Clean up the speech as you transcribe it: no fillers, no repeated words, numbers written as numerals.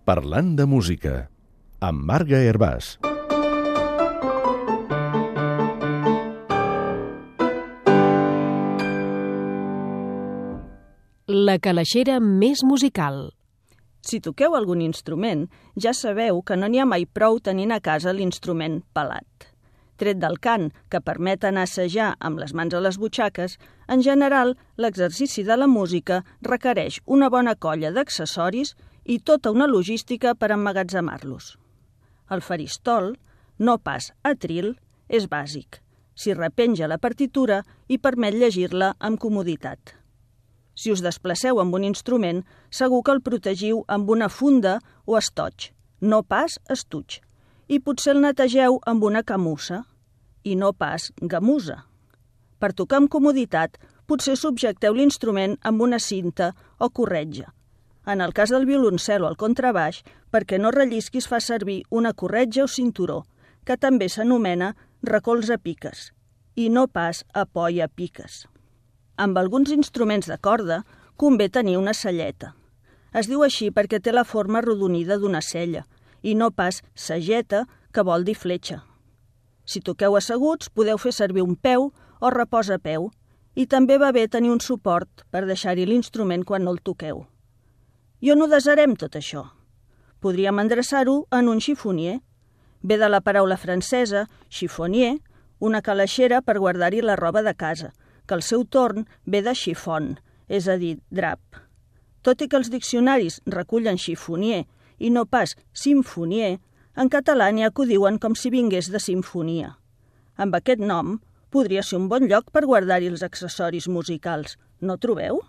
Parlant de música, amb Marga Hervàs. La calaixera més musical. Si toqueu algun instrument, ja sabeu que no n'hi ha mai prou tenint a casa l'instrument pelat. Tret del cant, que permet anar a assajar amb les mans a les butxaques, en general, l'exercici de la música requereix una bona colla d'accessoris i tota una logística per emmagatzemar-los. El faristol, no pas atril, és bàsic. S'hi repenja la partitura i permet llegir-la amb comoditat. Si us desplaceu amb un instrument, segur que el protegiu amb una funda o estoig, no pas estuig, i potser el netegeu amb una camussa, i no pas gamusa. Per tocar amb comoditat, potser subjecteu l'instrument amb una cinta o corretja. En el cas del violoncel o el contrabaix, perquè no rellisqui es fa servir una corretja o cinturó, que també s'anomena recolza piques, i no pas apoya piques. Amb alguns instruments de corda convé tenir una selleta. Es diu així perquè té la forma arrodonida d'una sella i no pas sageta, que vol dir fletxa. Si toqueu asseguts, podeu fer servir un peu o reposapeu i també va bé tenir un suport per deixar-hi l'instrument quan no el toqueu. I on ho desarem tot això? Podríem endreçar-ho en un xifonier. Ve de la paraula francesa chiffonnier, una calaixera per guardar-hi la roba de casa, que al seu torn ve de chiffon, és a dir, drap. Tot i que els diccionaris recullen chifonier i no pas simfonier, en català n'hi ha que ho diuen com si vingués de simfonia. Amb aquest nom, podria ser un bon lloc per guardar-hi els accessoris musicals, no trobeu?